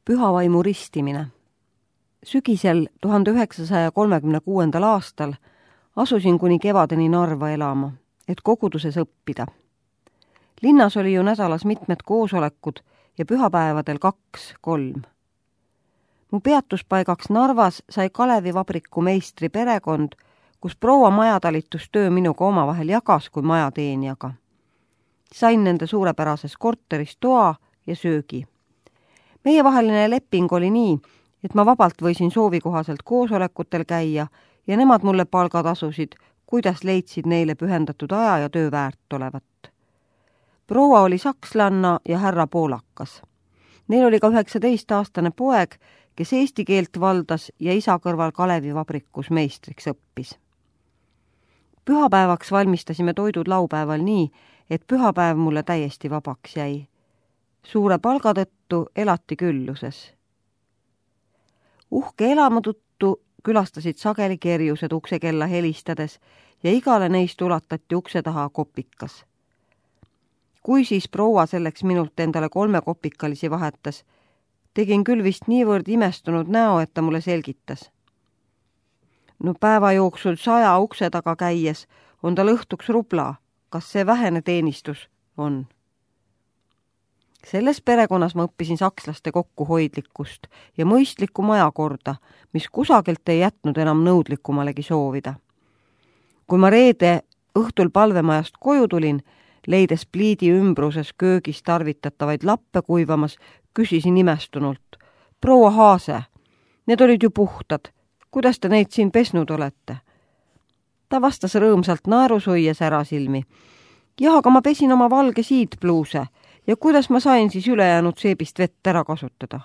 Püha vaimu ristimine. Sügisel 1936. aastal asusin kuni kevadeni Narva elama, et koguduses õppida. Linnas oli ju nädalas mitmed koosolekud ja pühapäevadel 2-3. Mu peatuspaigaks Narvas sai Kalevivabriku meistri perekond, kus proua majatalitustöö minuga omavahel jagas kui majateenijaga. Sain nende suurepärases korteris toa ja söögi. Meievaheline leping oli nii, et ma vabalt võisin soovikohaselt koosolekutel käia ja nemad mulle palgad asusid, kuidas leidsid neile pühendatud aja ja töö väärt olevat. Proua oli sakslanna ja härra poolakas. Neil oli ka 19-aastane poeg, kes eesti keelt valdas ja isa kõrval Kalevivabrikus meistriks õppis. Pühapäevaks valmistasime toidud laupäeval nii, et pühapäev mulle täiesti vabaks jäi. Suure palga tõttu elati külluses. Uhke elamu tõttu külastasid sageli kerjused uksekella helistades ja igale neist ulatati ukse taha kopikas. Kui siis proua selleks minult endale 3 kopikalisi vahetas, tegin küll vist niivõrd imestunud näo, et ta mulle selgitas. No päeva jooksul 100 ukse taga käies on tal õhtuks rubla. Kas see vähene teenistus on? Selles perekonnas ma õppisin sakslaste kokkuhoidlikkust ja mõistlikku majakorda, mis kusagilt ei jätnud enam nõudlikumalegi soovida. Kui ma reede õhtul palvemajast koju tulin, leides pliidi ümbruses köögis tarvitatavaid lappe kuivamas, küsisin imestunult. Proua Haase, need olid ju puhtad. Kuidas te neid siin pesnud olete? Ta vastas rõõmsalt naerusuies ära silmi. Jah, aga ma pesin oma valge siidpluuse ja kuidas ma sain siis ülejäänud seebist vett ära kasutada?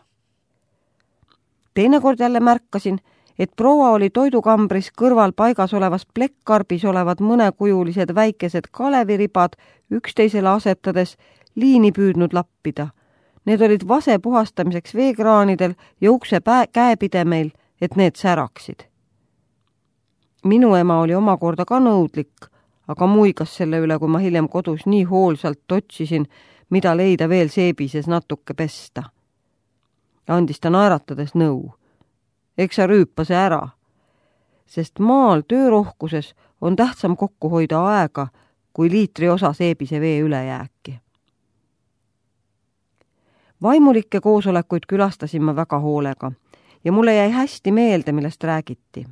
Teinekord jälle märkasin, et proua oli toidukambris kõrval paigas olevas plekkarbis olevad mõnekujulised väikesed kaleviribad üksteisele asetades liini püüdnud lappida. Need olid vase puhastamiseks veekraanidel ja ukse käepidemeil, et need säraksid. Minu ema oli omakorda ka nõudlik, aga muigas selle üle, kui ma hiljem kodus nii hoolsalt otsisin, mida leida veel seebises natuke pesta. Andis ta naeratades nõu. Eks sa rüüpa see ära, sest maal töörohkuses on tähtsam kokku hoida aega, kui liitri osa seebise vee ülejääki. Vaimulikke koosolekuid külastasin ma väga hoolega ja mulle jäi hästi meelde, millest räägiti.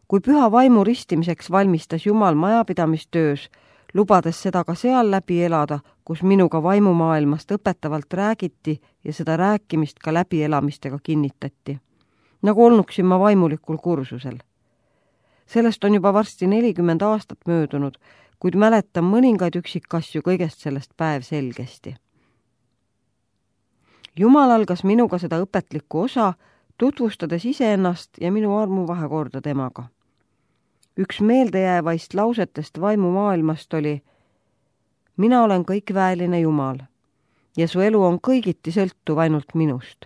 Kui püha vaimu ristimiseks valmistas Jumal majapidamistöös, lubades seda ka seal läbi elada, kus minuga vaimumaailmast õpetavalt räägiti ja seda rääkimist ka läbielamistega kinnitati. Nagu olnuksin ma vaimulikul kursusel. Sellest on juba varsti 40 aastat möödunud, kuid mäletan mõningaid üksikasju kõigest sellest päev selgesti. Jumal algas minuga seda õpetlikku osa, tutvustades iseennast ja minu armuvahekorda temaga. Üks meeldejäävaist lausetest vaimumaailmast oli: mina olen kõikväeline Jumal ja su elu on kõigiti sõltuv ainult minust.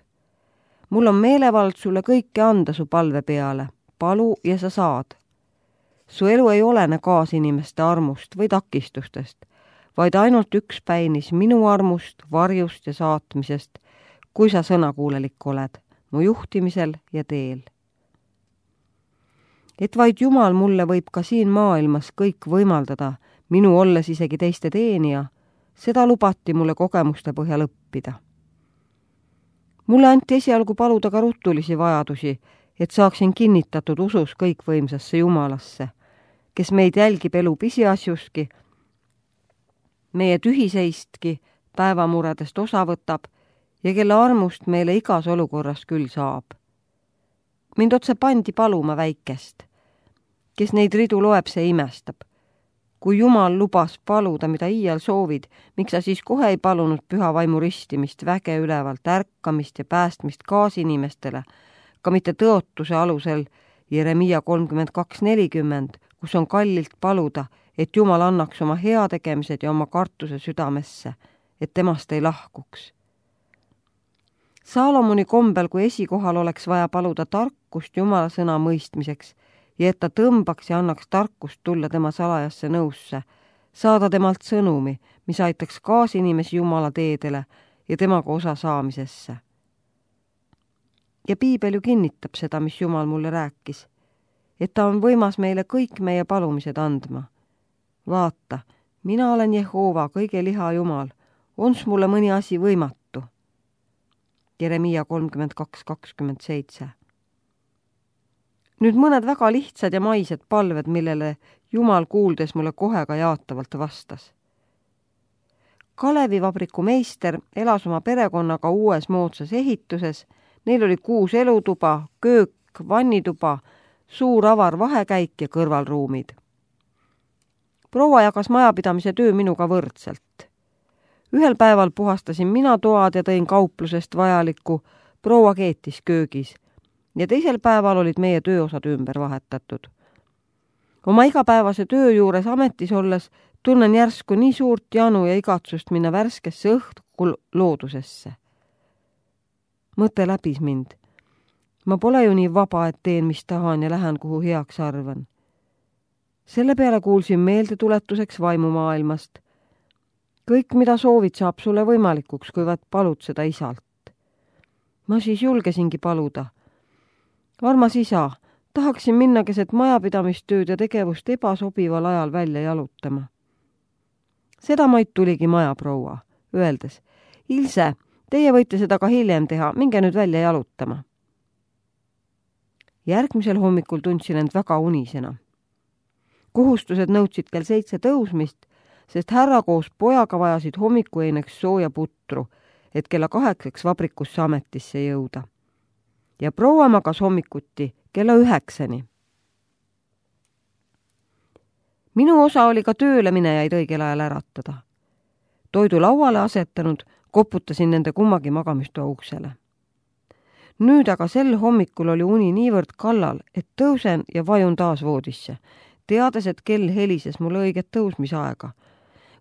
Mul on meelevald sulle kõike anda su palve peale, palu ja sa saad. Su elu ei olene kaasinimeste armust või takistustest, vaid ainult üks päinis minu armust, varjust ja saatmisest, kui sa sõnakuulelik oled mu juhtimisel ja teel. Et vaid Jumal mulle võib ka siin maailmas kõik võimaldada, minu olles isegi teiste teenija, seda lubati mulle kogemuste põhjal õppida. Mulle anti esialgu paluda ka rutulisi vajadusi, et saaksin kinnitatud usus kõikvõimsasse Jumalasse, kes meid jälgib elu pisiasjuski, meie tühiseistki päevamuredest osa võtab ja kelle armust meile igas olukorras küll saab. Mind otse pandi paluma väikest. Kes neid ridu loeb, see imestab. Kui Jumal lubas paluda, mida iial soovid, miks sa siis kohe ei palunud püha vaimu ristimist, väge ülevalt, ärkamist ja päästmist kaasinimestele, ka mitte tõotuse alusel Jeremiia 32:40, kus on kallilt paluda, et Jumal annaks oma heategemised ja oma kartuse südamesse, et temast ei lahkuks. Saalomoni kombel, kui esikohal oleks vaja paluda tarkust Jumala sõna mõistmiseks ja et ta tõmbaks ja annaks tarkust tulla tema salajasse nõusse, saada temalt sõnumi, mis aitaks kaasinimesi Jumala teedele ja temaga osa saamisesse. Ja piibel ju kinnitab seda, mis Jumal mulle rääkis, et ta on võimas meile kõik meie palumised andma. Vaata, mina olen Jehova, kõige liha Jumal, ons mulle mõni asi võimatu. Jeremiia 32:27. Nüüd mõned väga lihtsad ja maised palved, millele Jumal kuuldes mulle kohe ka jaatavalt vastas. Kalevivabriku meister elas oma perekonnaga uues moodsas ehituses. Neil oli 6 elutuba, köök, vannituba, suur avar vahekäik ja kõrvalruumid. Proua jagas majapidamise töö minuga võrdselt. Ühel päeval puhastasin mina toad ja tõin kauplusest vajalikku, proua keetis köögis ja teisel päeval olid meie tööosad ümber vahetatud. Oma igapäevase töö juures ametis olles tunnen järsku nii suurt janu ja igatsust minna värskesse õhku loodusesse. Mõte läbis mind. Ma pole ju nii vaba, et teen, mis tahan ja lähen, kuhu heaks arvan. Selle peale kuulsin meeldetuletuseks vaimumaailmast. Kõik, mida soovid, saab sulle võimalikuks, kui vaid palud seda isalt. Ma siis julgesingi paluda. Armas isa, tahaksin minna keset majapidamistööd ja tegevust ebasobival ajal välja jalutama. Seda maid tuligi majaproua, öeldes, Ilse, teie võite seda ka hiljem teha, minge nüüd välja jalutama. Järgmisel hommikul tundsin end väga unisena. Kohustused nõudsid kell 7 tõusmist, sest härra koos pojaga vajasid hommikueineks sooja putru, et kella 8 vabrikusse ametisse jõuda. Ja proua magas hommikuti kella 9. Minu osa oli ka tööle minejaid õigel ajal äratada. Toidu lauale asetanud, koputasin nende kummagi magamistoa uksele. Nüüd aga sel hommikul oli uni niivõrd kallal, et tõusen ja vajun taas voodisse, teades, et kell helises mulle õiget tõusmisaega.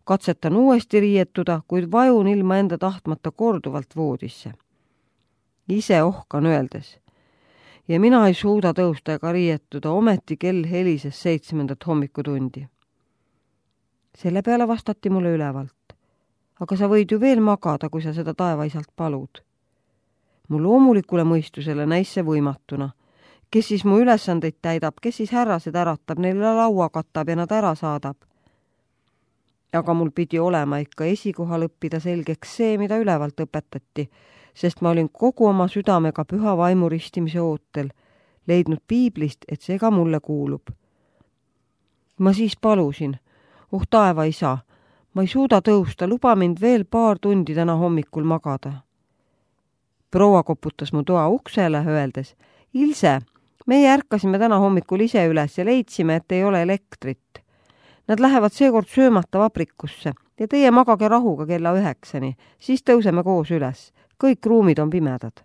Katsetan uuesti riietuda, kuid vajun ilma enda tahtmata korduvalt voodisse. Ise ohkan öeldes. Ja mina ei suuda tõusta ega riietuda, ometi kell helises 7. hommikutundi. Selle peale vastati mulle ülevalt. Aga sa võid ju veel magada, kui sa seda taevaisalt palud. Mu loomulikule mõistusele näis see võimatuna. Kes siis mu ülesandeid täidab, kes siis härrased äratab, neile laua katab ja nad ära saadab. Aga mul pidi olema ikka esikohal õppida selgeks see, mida ülevalt õpetati, sest ma olin kogu oma südamega püha vaimu ristimise ootel, leidnud piiblist, et see ka mulle kuulub. Ma siis palusin, taeva isa, ma ei suuda tõusta, luba mind veel paar tundi täna hommikul magada. Proua koputas mu toa uksele, öeldes, Ilse, meie ärkasime täna hommikul ise üles ja leidsime, et ei ole elektrit. Nad lähevad seekord söömata vabrikusse ja teie magage rahuga kella 9, siis tõuseme koos üles. Kõik ruumid on pimedad.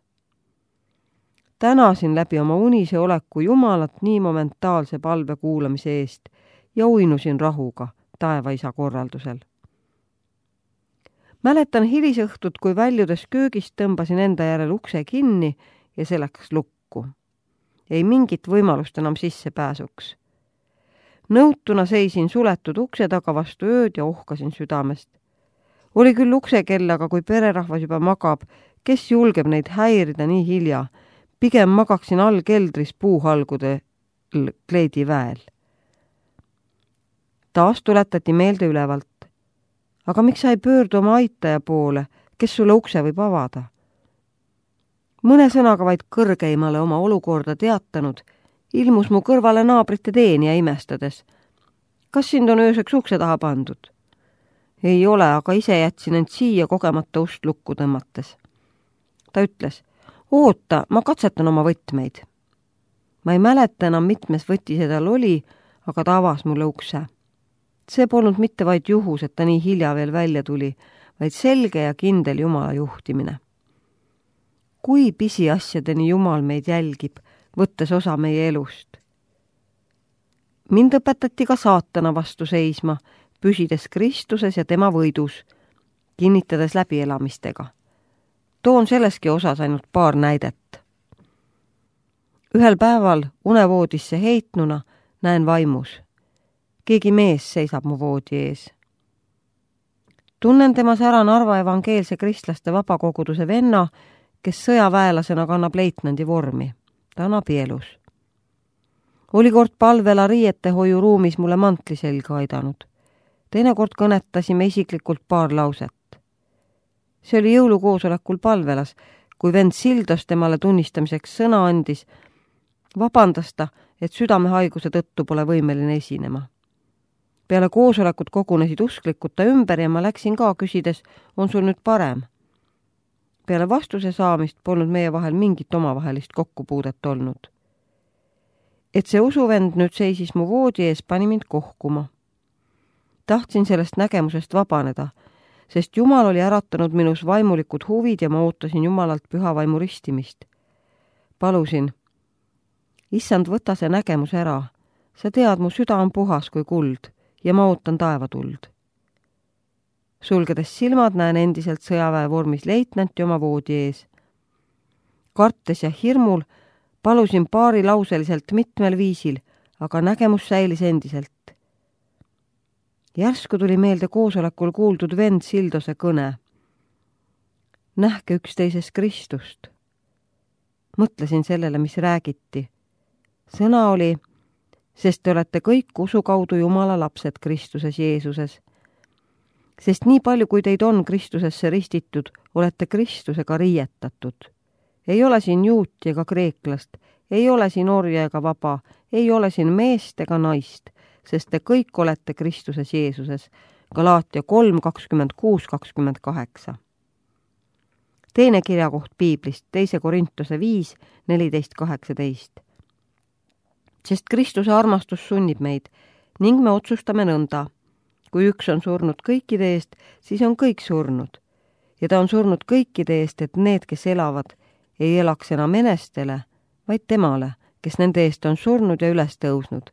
Tänasin läbi oma unise oleku Jumalat nii momentaalse palve kuulamise eest ja uinusin rahuga taevaisa korraldusel. Mäletan hilisõhtut, kui väljudes köögist tõmbasin enda järel ukse kinni ja see läks lukku. Ei mingit võimalust enam sissepääsuks. Nõutuna seisin suletud ukse taga vastu ööd ja ohkasin südamest. Oli küll uksekell, aga kui pererahvas juba magab, kes julgeb neid häirida nii hilja, pigem magaksin all keldris puuhalgude kleediväel. Taas tuletati meelde ülevalt. Aga miks sa ei pöördu oma aitaja poole, kes sulle ukse võib avada? Mõne sõnaga vaid kõrgeimale oma olukorda teatanud, ilmus mu kõrvale naabrite teenija imestades. Kas sind on ööseks ukse taha pandud? Ei ole, aga ise jätsin end siia kogemata ust lukku tõmmates. Ta ütles, oota, ma katsetan oma võtmeid. Ma ei mäleta enam, mitmes võti seda oli, aga ta avas mulle ukse. See polnud mitte vaid juhus, et ta nii hilja veel välja tuli, vaid selge ja kindel Jumala juhtimine. Kui pisiasjadeni Jumal meid jälgib, võttes osa meie elust. Mind õpetati ka saatana vastu seisma, püsides Kristuses ja tema võidus, kinnitades läbielamistega. Toon selleski osas ainult paar näidet. Ühel päeval unevoodisse heitnuna näen vaimus. Keegi mees seisab mu voodi ees. Tunnen temas ära Narva evangeelse kristlaste vabakoguduse venna, kes sõjaväelasena kannab leitnandi vormi. Ta on abielus. Oli kord palvela riietehoiuruumis mulle mantli selga aidanud. Teinekord kõnetasime isiklikult paar lauset. See oli jõulukoosolekul palvelas, kui vend Sildos temale tunnistamiseks sõna andis, vabandas ta, et südamehaiguse tõttu pole võimeline esinema. Peale koosolekut kogunesid usklikud ta ümber ja ma läksin ka küsides, on sul nüüd parem? Peale vastuse saamist polnud meie vahel mingit omavahelist kokkupuudet olnud. Et see usuvend nüüd seisis mu voodi ees, pani mind kohkuma. Tahtsin sellest nägemusest vabaneda, sest Jumal oli äratanud minus vaimulikud huvid ja ma ootasin Jumalalt püha vaimu ristimist. Palusin, Issand, võta see nägemus ära. Sa tead, mu süda on puhas kui kuld ja ma ootan taevatuld. Sulgedes silmad näen endiselt sõjaväe vormis leitnanti oma voodi ees. Kartes ja hirmul palusin paarilauseliselt mitmel viisil, aga nägemus säilis endiselt. Järsku tuli meelde koosolekul kuuldud vend Sildose kõne. Nähke üksteises Kristust. Mõtlesin sellele, mis räägiti. Sõna oli, sest te olete kõik usu kaudu Jumala lapsed Kristuses Jeesuses. Sest nii palju, kui teid on Kristusesse ristitud, olete Kristusega riietatud. Ei ole siin juuti ega kreeklast, ei ole siin orja ega vaba, ei ole siin meest ega naist, sest te kõik olete Kristuses Jeesuses. Galaatia 3:26-28. Teine kirjakoht Piiblist, 2 Korintuse 5:14-18. Sest Kristuse armastus sunnib meid ning me otsustame nõnda. Kui üks on surnud kõikide eest, siis on kõik surnud. Ja ta on surnud kõikide eest, et need, kes elavad, ei elaks enam enestele, vaid temale, kes nende eest on surnud ja üles tõusnud.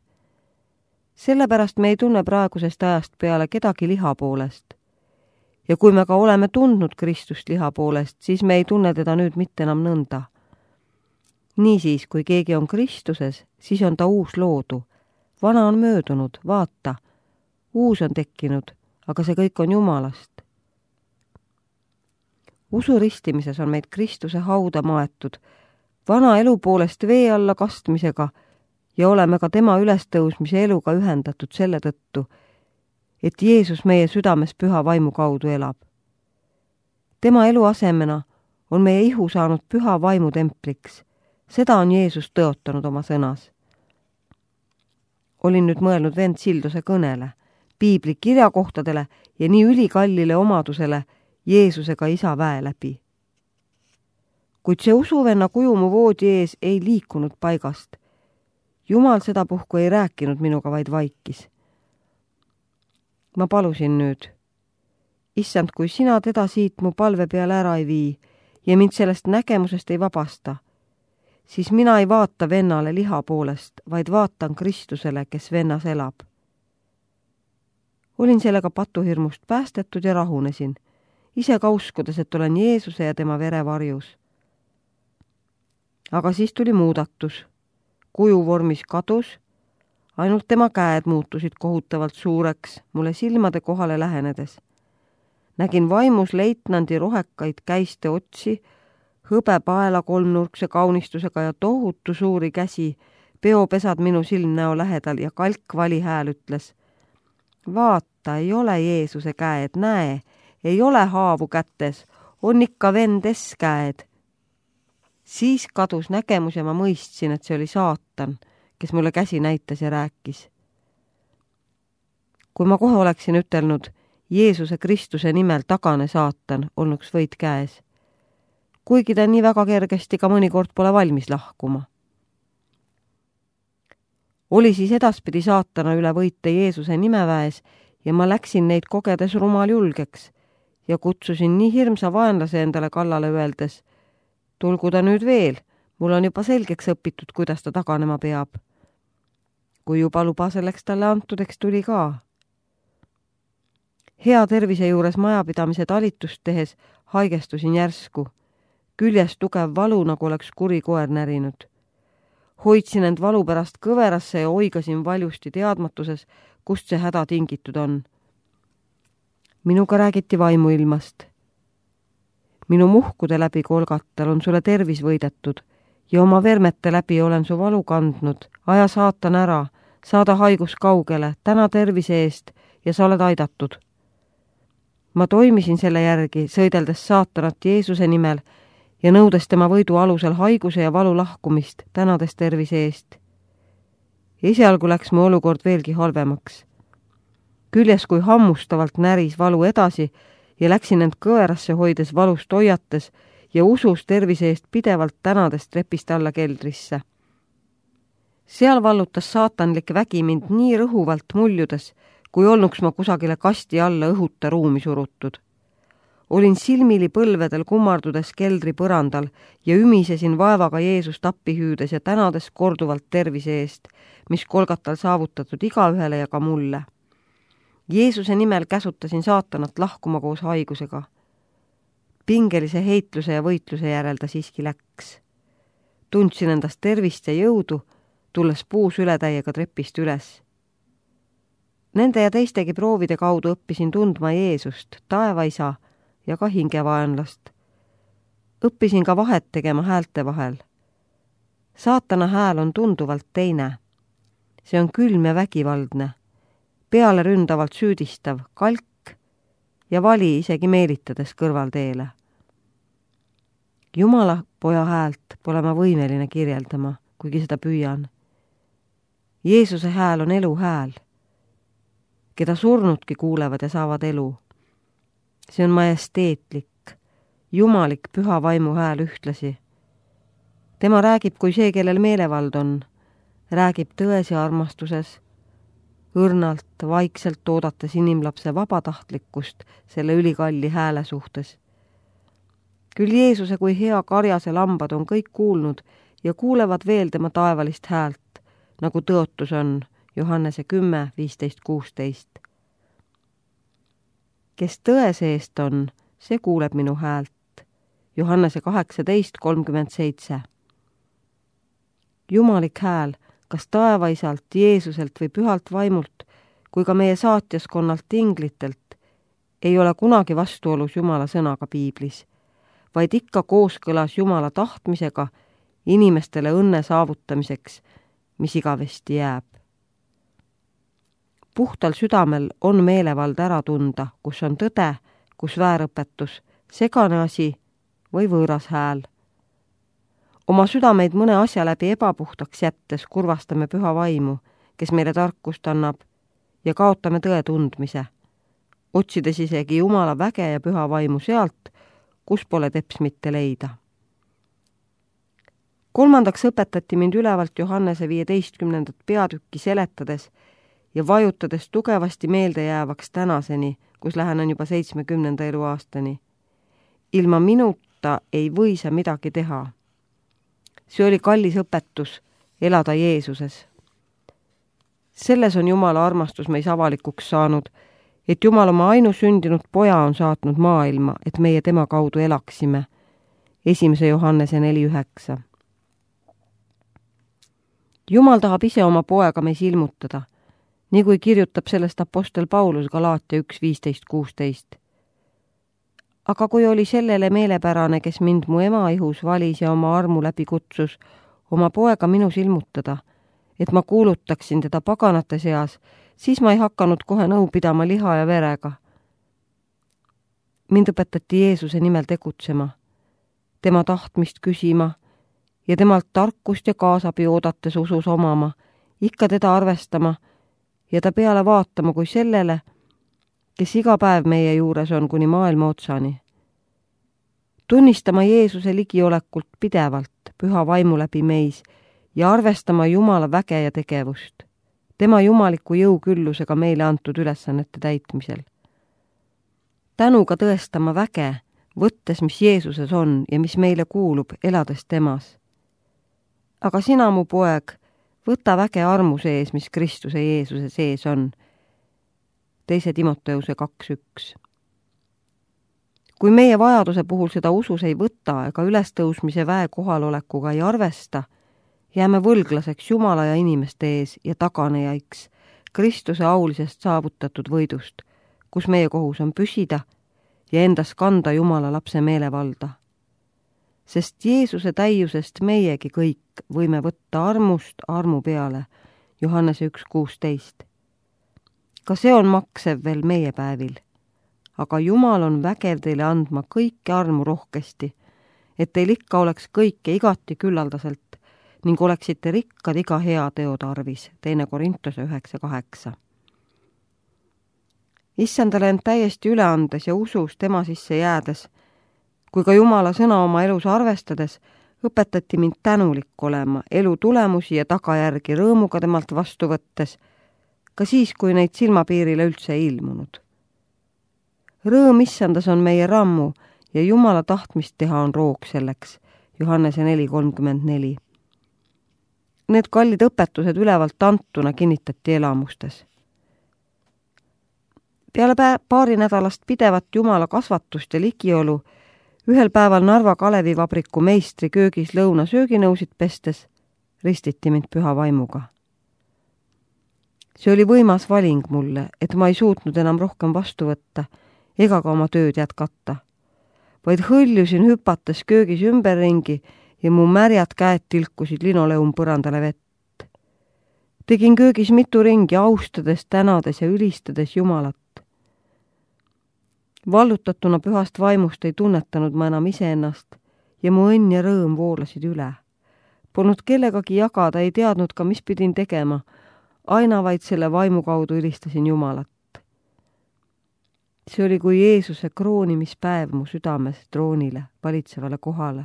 Sellepärast me ei tunne praegusest ajast peale kedagi liha poolest. Ja kui me ka oleme tundnud Kristust liha poolest, siis me ei tunne teda nüüd mitte enam nõnda. Niisiis, kui keegi on Kristuses, siis on ta uus loodu. Vana on möödunud, vaata, uus on tekkinud, aga see kõik on Jumalast. Usu ristimises on meid Kristuse hauda maetud, vana elu poolest vee alla kastmisega ja oleme ka tema ülestõusmise eluga ühendatud selle tõttu, et Jeesus meie südames püha vaimu kaudu elab. Tema elu asemena on meie ihu saanud püha vaimu templiks. Seda on Jeesus tõotanud oma sõnas. Olin nüüd mõelnud vend Sildose kõnele, piibli kirjakohtadele ja nii ülikallile omadusele Jeesusega isa väe läbi. Kuid see usuvenna kuju mu voodi ees ei liikunud paigast. Jumal sedapuhku ei rääkinud minuga, vaid vaikis. Ma palusin nüüd, Issand, kui sina teda siit mu palve peale ära ei vii ja mind sellest nägemusest ei vabasta, siis mina ei vaata vennale liha poolest, vaid vaatan Kristusele, kes vennas elab. Olin sellega patuhirmust päästetud ja rahunesin, ise ka uskudes, et olen Jeesuse ja tema vere varjus. Aga siis tuli muudatus. Kuju vormis kadus, ainult tema käed muutusid kohutavalt suureks mulle silmade kohale lähenedes. Nägin vaimus leitnandi rohekaid käiste otsi, hõbepaela kolmnurkse kaunistusega ja tohutu suuri käsi, peopesad minu silmnäo lähedal ja kalkvali hääl ütles. Vaata, ei ole Jeesuse käed, näe, ei ole haavu kätes, on ikka vendes käed. Siis kadus nägemus ja ma mõistsin, et see oli saatan, kes mulle käsi näitas ja rääkis. Kui ma kohe oleksin ütelnud, Jeesuse Kristuse nimel tagane saatan, olnuks võit käes. Kuigi ta nii väga kergesti ka mõnikord pole valmis lahkuma. Oli siis edaspidi saatana üle võite Jeesuse nimeväes ja ma läksin neid kogedes rumal julgeks ja kutsusin nii hirmsa vaenlase endale kallale öeldes, tulgu ta nüüd veel, mul on juba selgeks õpitud, kuidas ta taganema peab. Kui juba luba selleks talle antudeks tuli ka. Hea tervise juures majapidamise talitust tehes haigestusin järsku. Küljes tugev valu, nagu oleks kuri koer närinud. Hoidsin end valu pärast kõverasse ja oigasin valjusti teadmatuses, kust see häda tingitud on. Minuga räägiti vaimuilmast. minu muhkude läbi Golgatal on sulle tervis võidetud ja oma vermete läbi olen su valu kandnud. Aja saatan ära, saada haigus kaugele, täna tervise eest ja sa oled aidatud. Ma toimisin selle järgi, sõideldes saatanat Jeesuse nimel ja nõudes tema võidu alusel haiguse ja valu lahkumist, tänades tervise eest. Esialgu läks mu olukord veelgi halvemaks. Küljes kui hammustavalt näris valu edasi ja läksin end kõverasse hoides valust hoiates ja usus tervise eest pidevalt tänades trepist alla keldrisse. Seal vallutas saatanlik vägi mind nii rõhuvalt muljudes, kui olnuks ma kusagile kasti alla õhuta ruumi surutud. Olin silmili põlvedel kummardudes keldri põrandal ja ümisesin vaevaga Jeesust appi hüüdes ja tänades korduvalt tervise eest, mis Golgatal saavutatud igaühele ja ka mulle. Jeesuse nimel käsutasin saatanat lahkuma koos haigusega. Pingelise heitluse ja võitluse järel ta siiski läks. Tundsin endast tervist ja jõudu, tulles puus ületäiega trepist üles. Nende ja teistegi proovide kaudu õppisin tundma Jeesust, taevaisa ja ka hingevaenlast. Õppisin ka vahet tegema häälte vahel. Saatana hääl on tunduvalt teine. See on külm ja vägivaldne, peale ründavalt süüdistav, kalk ja vali isegi meelitades kõrvalteele. Jumala poja häält pole ma võimeline kirjeldama, kuigi seda püüan. Jeesuse hääl on elu hääl, keda surnudki kuulevad ja saavad elu. See on majesteetlik, jumalik püha vaimu hääl ühtlasi. Tema räägib kui see, kellel meelevald on, räägib tões ja armastuses, õrnalt, vaikselt oodates inimlapse vabatahtlikkust selle ülikalli hääle suhtes. Küll Jeesuse kui hea karjase lambad on kõik kuulnud ja kuulevad veel tema taevalist häält, nagu tõotus on Johannese 10:15-16. Kes tõe seest on, see kuuleb minu häält. Johannese 18:37. Jumalik hääl, kas taevaisalt, Jeesuselt või pühalt vaimult, kui ka meie saatjaskonnalt inglitelt, ei ole kunagi vastuolus Jumala sõnaga piiblis, vaid ikka kooskõlas Jumala tahtmisega inimestele õnne saavutamiseks, mis igavesti jääb. Puhtal südamel on meelevald ära tunda, kus on tõde, kus väärõpetus, segane asi või võõras hääl. Oma südameid mõne asja läbi ebapuhtaks jättes kurvastame püha vaimu, kes meile tarkust annab, ja kaotame tõe tundmise, otsides isegi Jumala väge ja püha vaimu sealt, kus pole teps mitte leida. Kolmandaks õpetati mind ülevalt Johannese 15. peatükki seletades ja vajutades tugevasti meelde jäävaks tänaseni, kus lähenen juba 70. eluaastani. Ilma minuta ei või sa midagi teha. See oli kallis õpetus, elada Jeesuses. Selles on Jumala armastus meis avalikuks saanud, et Jumal oma ainusündinud poja on saatnud maailma, et meie tema kaudu elaksime. 1. Johannese 4:9. Jumal tahab ise oma poega meis ilmutada, nii kui kirjutab sellest apostel Paulus Galaatia 1:15-16. Aga kui oli sellele meelepärane, kes mind mu ema ihus valis ja oma armu läbi kutsus, oma poega minus ilmutada, et ma kuulutaksin teda paganate seas, siis ma ei hakanud kohe nõu pidama liha ja verega. Mind õpetati Jeesuse nimel tegutsema, tema tahtmist küsima ja temalt tarkust ja kaasabi oodates usus omama, ikka teda arvestama ja ta peale vaatama kui sellele, kes iga päev meie juures on kuni maailma otsani. Tunnistama Jeesuse ligiolekult pidevalt, püha vaimu läbi meis ja arvestama Jumala väge ja tegevust, tema jumaliku jõuküllusega meile antud ülesannete täitmisel. Tänuga tõestama väge, võttes, mis Jeesuses on ja mis meile kuulub, elades temas. Aga sina, mu poeg, võta väge armu sees, mis Kristuse Jeesuse sees on. 2. Timoteuse 2:1. Kui meie vajaduse puhul seda usus ei võta ega ülestõusmise väe kohalolekuga ei arvesta, jääme võlglaseks Jumala ja inimeste ees ja taganejaiks Kristuse aulisest saavutatud võidust, kus meie kohus on püsida ja endas kanda Jumala lapse meelevalda. Sest Jeesuse täiusest meiegi kõik võime võtta armust armu peale, Johannese 1,16. Ka see on maksev veel meie päevil. Aga Jumal on vägev teile andma kõike armu rohkesti, et teil ikka oleks kõike igati küllaldaselt ning oleksite rikkad iga hea teo tarvis, 2 Korintuse 9,8. Issandale end täiesti üle andes ja usus tema sisse jäädes, kui ka Jumala sõna oma elus arvestades, õpetati mind tänulik olema elu tulemusi ja tagajärgi rõõmuga temalt vastu võttes, ka siis, kui neid silmapiirile üldse ei ilmunud. Rõõm issandas on meie rammu ja Jumala tahtmist teha on roog selleks, Johannese 4,34. Need kallid õpetused ülevalt antuna kinnitati elamustes. Peale paari nädalast pidevat Jumala kasvatust ja ligiolu, ühel päeval Narva Kalevivabriku meistri köögis lõunasööginõusid pestes ristiti mind püha vaimuga. See oli võimas valing mulle, et ma ei suutnud enam rohkem vastu võtta ega ka oma tööd jätkata, vaid hõljusin hüpates köögis ümberringi ja mu märjad käed tilkusid linoleumpõrandale vett. Tegin köögis mitu ringi, austades, tänades ja ülistades Jumalat. Vallutatuna pühast vaimust ei tunnetanud ma enam iseennast ja mu õnn ja rõõm voolasid üle. Polnud kellegagi jagada, ei teadnud ka, mis pidin tegema, aina vaid selle vaimu kaudu ülistasin Jumalat. See oli kui Jeesuse kroonimispäev mu südames troonile, valitsevale kohale,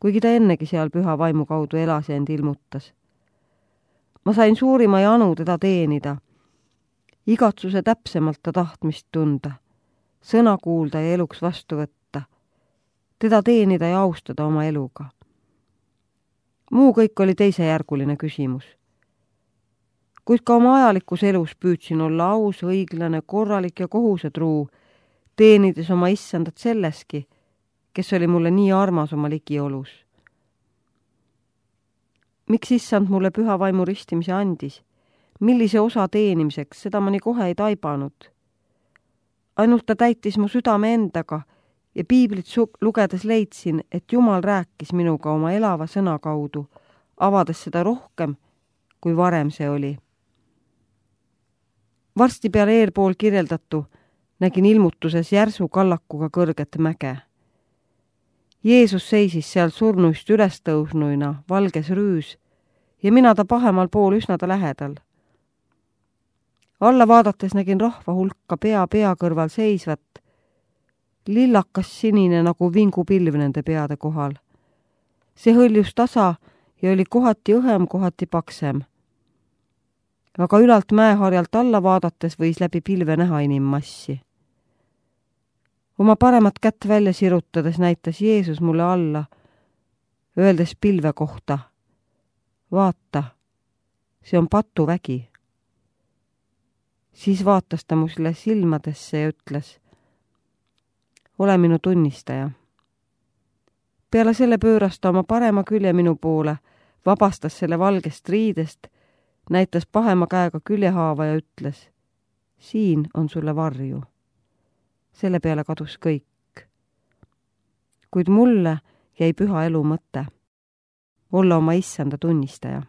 kuigi ta ennegi seal püha vaimu kaudu elas ja end ilmutas. Ma sain suurima janu teda teenida, igatsuse täpsemalt ta tahtmist tunda, sõna kuulda ja eluks vastu võtta, teda teenida ja austada oma eluga. Muu kõik oli teisejärguline küsimus. Kuid ka oma ajalikus elus püüdsin olla aus, õiglane, korralik ja kohusetruu, teenides oma issandat selleski, kes oli mulle nii armas oma ligiolus. Miks issand mulle püha vaimu ristimise andis? Millise osa teenimiseks, seda ma nii kohe ei taibanud. Ainult ta täitis mu südame endaga ja piiblit lugedes leidsin, et Jumal rääkis minuga oma elava sõna kaudu, avades seda rohkem, kui varem see oli. Varsti peale eelpool kirjeldatu nägin ilmutuses järsu kallakuga kõrget mäge. Jeesus seisis seal surnuist ülestõusnuina, valges rüüs, ja mina ta pahemal pool üsna ta lähedal. Alla vaadates nägin rahva hulka pea kõrval seisvat, lillakas sinine nagu vingupilv nende peade kohal. See hõljus tasa ja oli kohati õhem, kohati paksem. Aga ülalt mäeharjalt alla vaadates võis läbi pilve näha inimmassi. Oma paremat kätt välja sirutades näitas Jeesus mulle alla, öeldes pilve kohta: vaata, see on patuvägi. Siis vaatas ta mulle silmadesse ja ütles: ole minu tunnistaja. Peale selle pööras ta oma parema külje minu poole, vabastas selle valgest riidest, näitas pahema käega küljehaava ja ütles: siin on sulle varju. Selle peale kadus kõik. Kuid mulle jäi püha elu mõte olla oma issanda tunnistaja.